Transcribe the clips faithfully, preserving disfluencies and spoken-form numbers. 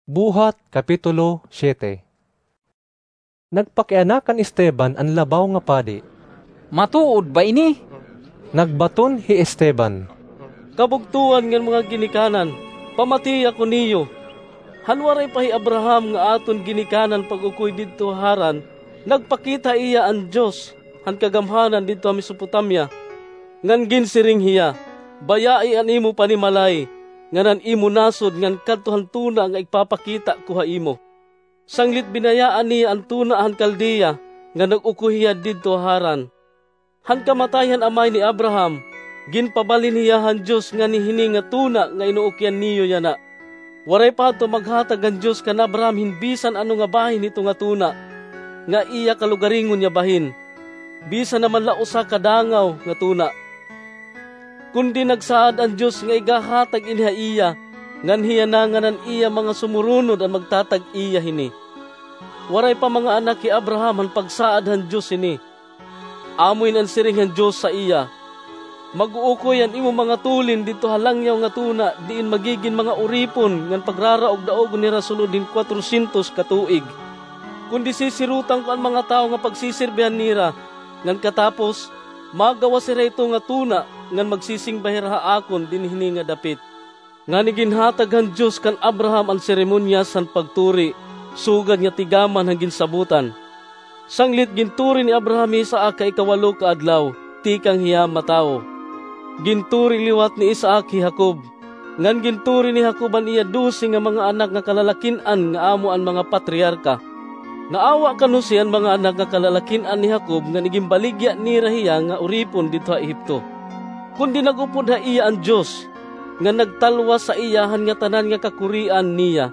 Buhat, Kapitulo siete. Nagpakiana kan Esteban an labaw nga padi. Matuod ba ini? Nagbaton hi Esteban. Kabugtoan ngan mga ginikanan, pamati ako niyo. Han waray pa hi Abraham nga aton ginikanan pag-ukoy didto ha Haran, nagpakita ha iya an Dios han kagamhanan didto ha Mesopotamia. Ngan ginsiring hiya, "Bayai an imo panimalay ngan an imo nasod ngan kadto han tuna nga igpapakita ko ha imo." Sanglit binayaan niya an tuna han Caldea, nga nag-ukoy hiya didto ha Haran. Han kamatay han amay ni Abraham, ginpabalhin hiya han Dios ngan hini nga tuna nga inuukyan niyo yana. Waray pa hadto maghatag han Dios kan Abraham hin bisan ano nga bahin hito nga tuna, nga iya kalugaringon nga bahin, bisan naman la usa ka dangaw nga tuna. Kundi nagsaad an Dios nga igahatag ini ha iya, ngan hiya na ngan an iya mga sumuronod an magtatag-iya hini. Waray pa mga anak hi Abraham han pagsaad han Dios hini. Amo ini an siring han Dios ha iya, "Mag-uukoy an imo mga tulin didto ha langyaw nga tuna diin magigin mga uripon ngan pagraraog-daogon hira sulod hin kwatrosyentos ka tuig. Kundi sisirutan ko an mga tawo nga pagsisirbihan nira, ngan katapos, magawas hira hito nga tuna ngan magsisingba hira ha akon dinhi hini nga dapit." Ngan iginhatag han Dios kan Abraham an seremonyas han pagturi, sugad nga tigaman han ginsabotan. Sanglit ginturi ni Abraham hi Isaac ha ikawalo ka adlaw, tikang hiya matawo. Ginturi liwat ni Isaac hi Jacob. Ngan ginturi ni Jacob an iya dose nga mga anak nga kalalakin-an nga amo an mga patriarka. Naawa kan Jose an mga anak nga kalalakin-an ni Jacob ngan iginbaligya nira hiya nga uripon didto ha Ehipto. Kundi nag-upod ha iya an Dios, nga nagtalwas sa iya han ngatanan nga kakurian niya.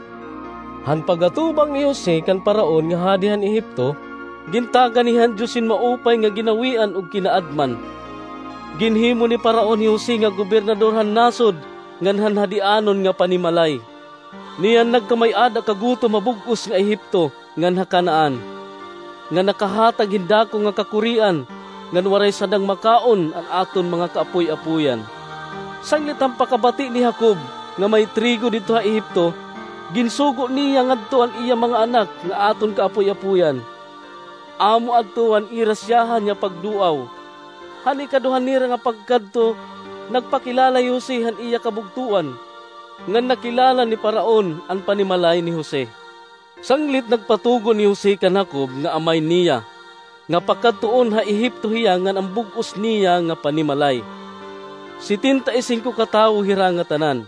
Han pag-atubang ni Jose kan Faraon nga hadi han Ehipto, gintagan hiya han Dios hin maupay nga ginawian ug kinaadman. Ginhimo ni Faraon hi Jose nga gobernador han nasod ngan han hadianon nga panimalay. Niyan nagkamay-ada ka gutom ha bug-os nga Ehipto ngan ha Canaan, nga nakahatag hin dako nga kakurian, ngan waray sadang makaon an aton mga kaapoy-apoyan. Sanglit han pakabati ni Jacob nga may trigo didto ha Ehipto, ginsugo niya ngadto an iya mga anak nga aton kaapoy-apoyan. Amo adto an ira siyahan nga pagduaw. Han ikaduha nira nga pagkadto, nagpakilala hi Jose han iya kabugtoan, ngan nakilala ni Faraon an panimalay ni Jose. Sanglit nagpatugon hi Jose kan Jacob nga amay niya, nga pakadtuon ha Ehipto hiya ngan an bug-os niya nga panimalay. Setenta y singko ka tawo hira ngatanan.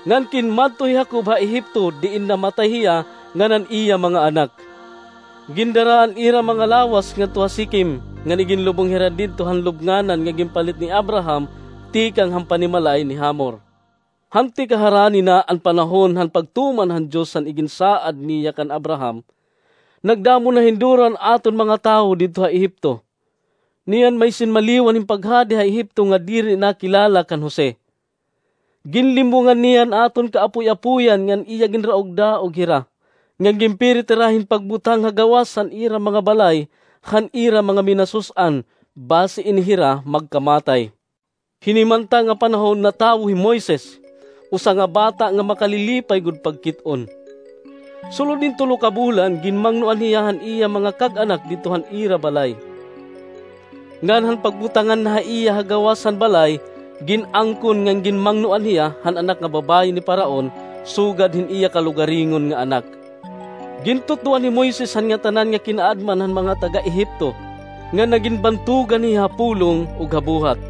Ngan kinmadto hi Jacob ha Ehipto diin namatay hiya ngan an iya mga anak. Gindara an ira mga lawas ngadto ha Siquem, ngan iginlubong hira didto han lubnganan nga ginpalit ni Abraham tikang han panimalay ni Hamor. Han tikaharani na an panahon han pagtuman han Dios han iginsaad niya kan Abraham, nagdamo na hin duro an aton mga tawo didto ha Ehipto. Niyan may sinmaliwan hin paghadi ha Ehipto nga diri nakilala kan Jose. Ginlimbongan niya an aton kaapoy-apoyan ngan iya ginraog-daog hira, ngan ginpirit hira hin pagbutang ha gawas han ira mga balay, han ira mga minasus-an, basi ini hira magkamatay. Hinimanta nga panahon natawo hi Moises, usa nga bata nga makalilipay gud pagkit-on. Sulod hin tulo ka bulan, ginmangnoan hiya han iya mga kag-anak didto han ira balay. Ngan han pagbutangan na ha iya ha gawas han balay, gin-angkon ngan ginmangnoan hiya han anak nga babaye ni Faraon, sugad hin iya kalugaringon nga anak. Gintutdoan hi Moises han ngatanan nga kinaadman han mga taga-Ehipto, ngan nagin bantogan hiya ha pulong ug ha buhat.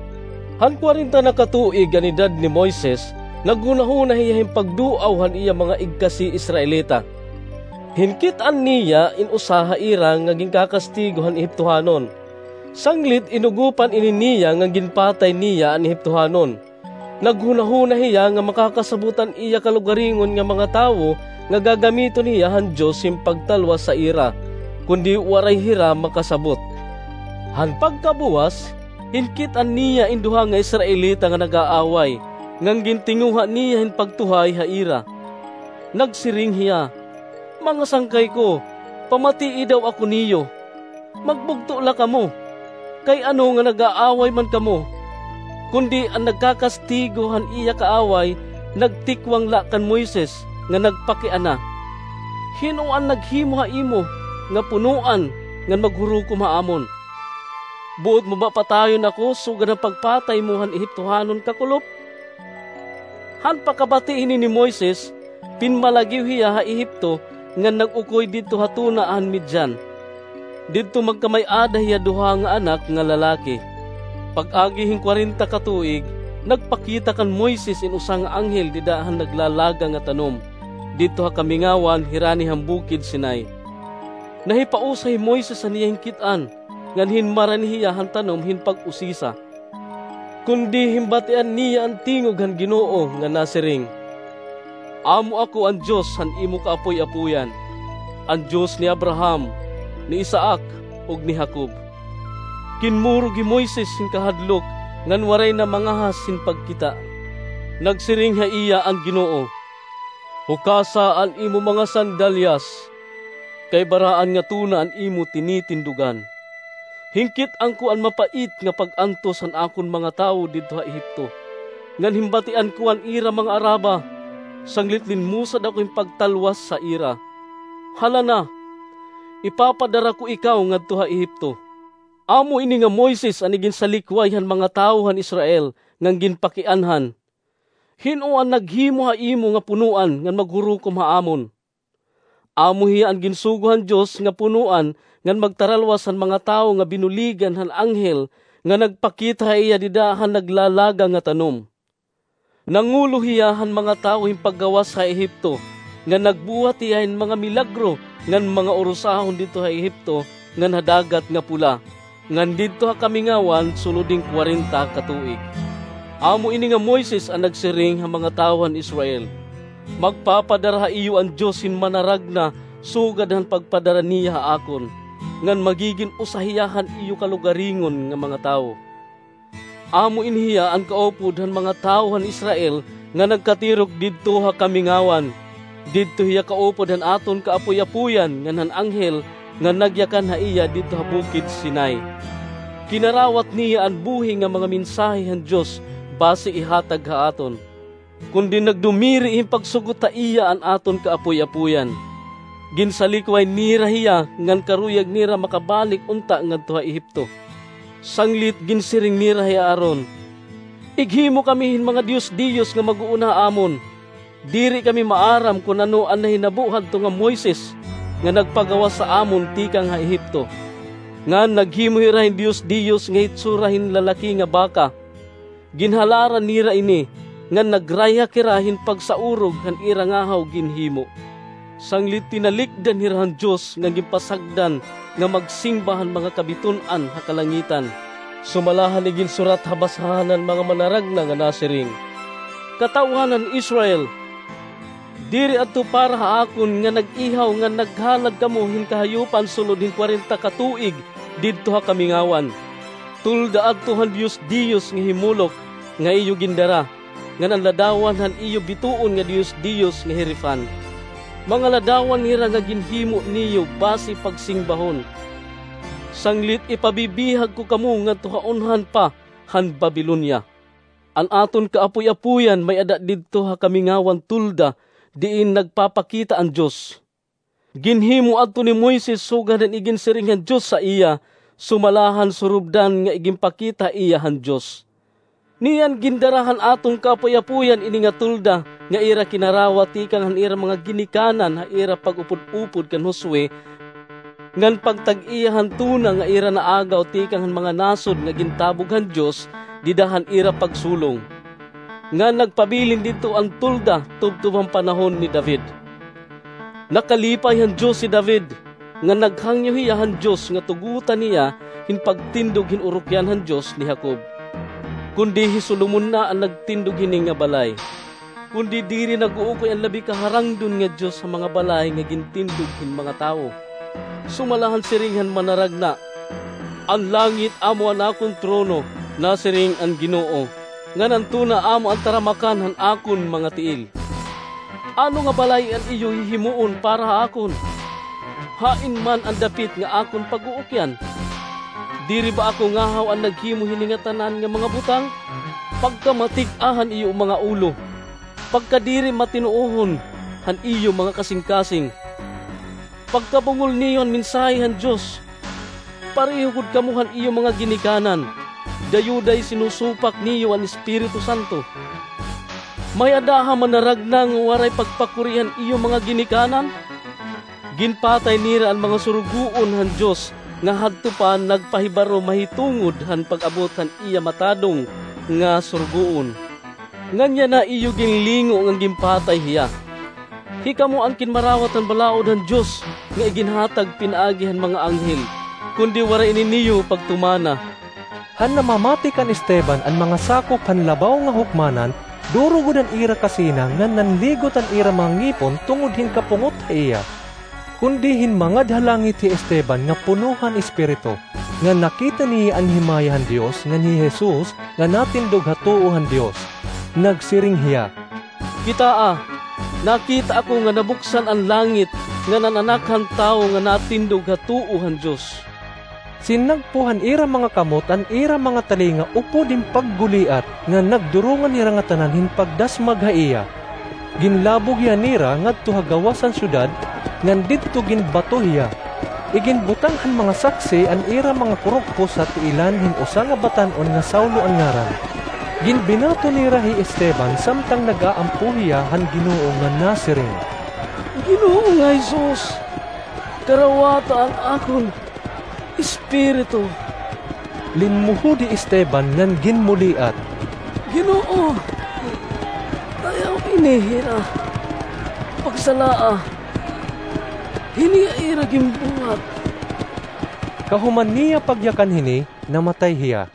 Han kwarenta na ka tuig an edad ni Moises, naghunahuna hiya hin pagduaw han iya mga igkasi Israelita. Hinkit-an niya in usa ha ira nga ginkakastigo han Ehiptohanon. Sanglit inugopan ini niya nga ginpatay niya an Ehiptohanon. Naghunahuna hiya nga makakasabot an iya kalugaringon nga mga tawo nga gagamiton hiya han Dios hin pagtalwas ha ira, kundi waray hira makasabot. Han pagkabuwas, hinkit-an niya in duha nga Israelita nga nag-aaway, ngan gintinguha niya hin pagtuhay ha ira. Nagsiring hiya, "Mga sangkay ko, pamatii daw ako niyo. Magbugto la kamo, kay ano nga nag-aaway man kamo?" Kundi an nagkakastigo han iya kaaway nagtikwang la kan Moises, nga nagpakiana, "Hin-o an naghimo ha imo nga punoan ngan maghurukom ha amon? Buot mo ba patayon ako sugad han pagpatay mo han Ehiptohanon kakulop?" Han pakabati hini ni Moises, pinmalagiw hiya ha Ehipto ngan nag-ukoy didto ha tuna han Midian. Didto magkamay-ada hiya duha nga anak nga lalaki. Pag-agi hin kwarenta ka tuig, nagpakita kan Moises in usa nga anghel dida han naglalaga nga tanom, didto ha kamingawan hirani han bukid Sinai. Nahipausa hi Moises han iya hinkit-an, ngan hinmarani hiya han tanom hin pag-usisa. Kundi hinbatian niya an tingog han Ginoo nga nasiring, "Amo ako an Dios han imo kaapoy-apoyan, an Dios ni Abraham, ni Isaac, ug ni Jacob." Kinmurog hi Moises hin kahadlok ngan waray na mangahas hin pagkita. Nagsiring ha iya an Ginoo, "Hukasa an imo mga sandalyas, kay baraan nga tuna an imo tinitindugan. Hinkit-an ko an mapait nga pag-antos han akon mga tawo didto ha Ehipto, ngan hinbatian ko an ira mga araba, sanglit linmusad ako hin pagtalwas ha ira. Hala na, ipapadara ko ikaw ngadto ha Ehipto." Amo ini nga Moises an iginsalikway han mga tawo han Israel ngan ginpakianhan, "Hin-o an naghimo ha imo nga punoan ngan maghurukom ha amon? Amo hiya an ginsugo han Dios nga punoan ngan magtaralwas han mga tawo nga binuligan han anghel nga nagpakita ha iya dida han naglalaga nga tanom. Nangulo hiya han mga tawo hin paggawas ha Ehipto, ngan nagbuhat hiya hin mga milagro ngan mga urusahon didto ha Ehipto ngan ha Dagat nga Pula, ngan didto ha kamingawan sulod hin kwarenta ka tuig." Amo ini nga Moises an nagsiring ha mga tawo han Israel, "Magpapadara ha iyo an Dios hin manaragna sugad han pagpadara niya ha akon, ngan magigin usa hiya han iyo kalugaringon nga mga tawo." Amo ini hiya an kaupod han mga tawo han Israel nga nagkatirok didto ha kamingawan. Didto hiya kaupod han aton kaapoy-apoyan ngan han anghel nga nagyakan ha iya didto ha bukid Sinai. Kinarawat niya an buhi nga mga mensahe han Dios basi ihatag ha aton. Kundi nagdumiri hin pagsugot ha iya an aton kaapoy-apoyan. Ginsalikway nira hiya ngan karuyag nira makabalik unta ngadto ha Ehipto. Sanglit ginsiring nira hi Aaron, "Ighimo kami hin mga diyos-diyos nga mag-uuna ha amon. Diri kami maaram kon ano an nahinabo hadto nga Moises nga nagpagawas ha amon tikang ha Ehipto." Ngan naghimo hira hin diyos-diyos nga hitsura hin lalaki nga baka. Ginhalaran nira ini, ngan nagrayhak hira hin pagsaurog han ira ngahaw ginhimo. Sanglit tinalikdan hira han Dios nga ginpasagdan nga magsingba han mga kabiton-an ha kalangitan, sumala han iginsurat ha basahan han mga manaragna nga nasiring, "Katawhan han Israel, diri adto para ha akon nga nag-ihaw ngan naghalad kamo hin kahayupan sulod hin kwarenta ka tuig didto ha kamingawan. Tulda adto han diyos-diyos nga hi Moloc nga iyo gindara, ngan an ladawan han iyo bituon nga diyos-diyos nga hi Refan. Mga ladawan hira nga ginhimo niyo basi pagsingbahon. Sanglit ipabibihag ko kamo ngadto ha unhan pa han Babilonia. An aton kaapoy-apoyan may-ada didto ha kamingawan tolda diin nagpapakita an Dios. Ginhimo adto ni Moises sugad han iginsiring han Dios ha iya, sumala han surubdan nga iginpakita ha iya han Dios." Niyan gindara han aton kaapoy-apoyan ini nga tolda nga ira kinarawat tikang han ira mga ginikanan ha ira pag-upod-upod kan Josue, ngan pagtag-iya han tuna nga ira naagaw tikang han mga nasod nga gintabog han Dios dida han ira pagsulong. Ngan nagpabilin didto an tolda tubtob han panahon ni David. Nakalipay han Dios hi David, ngan naghangyo hiya han Dios nga tugotan hiya hin pagtindog hin urukyan han Dios ni Jacob. Kundi hi Solomon na an nagtindog hini nga balay. Kundi diri nag-uukoy an labi kaharangdon nga Dios ha mga balay nga gintindog hin mga tawo. Sumala han siring han manaragna, "An langit amo an akon trono," nasiring an Ginoo, "ngan an tuna amo an taramakan han akon mga tiil. Ano nga balay an iyo hihimuon para ha akon? Hain man an dapit nga akon pag-uukyan? Diri ba ako ngahaw an naghimo hini ngatanan nga mga butang? Pagkamatig-a han iyo mga ulo, pagkadiri matinuohon, han iyo mga kasingkasing. Pagkabungol niyo han mensahe han Dios, pareho gud kamo han iyo mga ginikanan, dayoday sinusupak niyo an Espiritu Santo. May-ada ha manaragna nga waray pagpakuri han iyo mga ginikanan? Ginpatay nira an mga surugoon han Dios nga hadto pa nagpahibaro mahitungod han pag-abot han iya matadong nga surugoon. Nganyan na iyo ginlingo nga ginpatay hiya. Hikamo an kinmarawat han balaod han Dios nga iginhatag pinaagi han mga anghel, kundi waray ini niyo pagtumana. Han namamati kan Esteban an mga sakop han labaw nga hukmanan, duro gud an ira kasina ngan nanligot an ira mga ngipon tungod hin kapungot ha iya. Kundi hinmangad ha langit hi Esteban nga puno han Espiritu, ngan nakita niya an himaya han Dios ngan hi Jesus nga natindog ha tuo han Dios. Nagsiring hiya, "Kitaa, nakita ako nga nabuksan an langit ngan an Anak han Tawo nga natindog ha tuo han Dios." Sinagpo han ira mga kamot an ira mga talinga upod hin pagguliat, ngan nagdurongan hira ngatanan hin pagdasmag ha iya. Ginlabog hiya nira ngadto ha gawas han syudad, ngan didto ginbato hiya. Iginbutang han mga saksi an ira mga kurogpos ha tiilan hin usa nga batan-on nga Saulo an ngaran. Ginbinato nira hi Esteban samtang nag-aampo hiya han Ginoo nga nasiring, "Ginoo nga Jesus, karawata an akon espiritu." Linmuhod hi Esteban ngan ginmuliat, "Ginoo, ayaw ini hira pagsalaa. Hini an ira ginbuhat." Kahuman niya pagyakan hini, namatay hiya.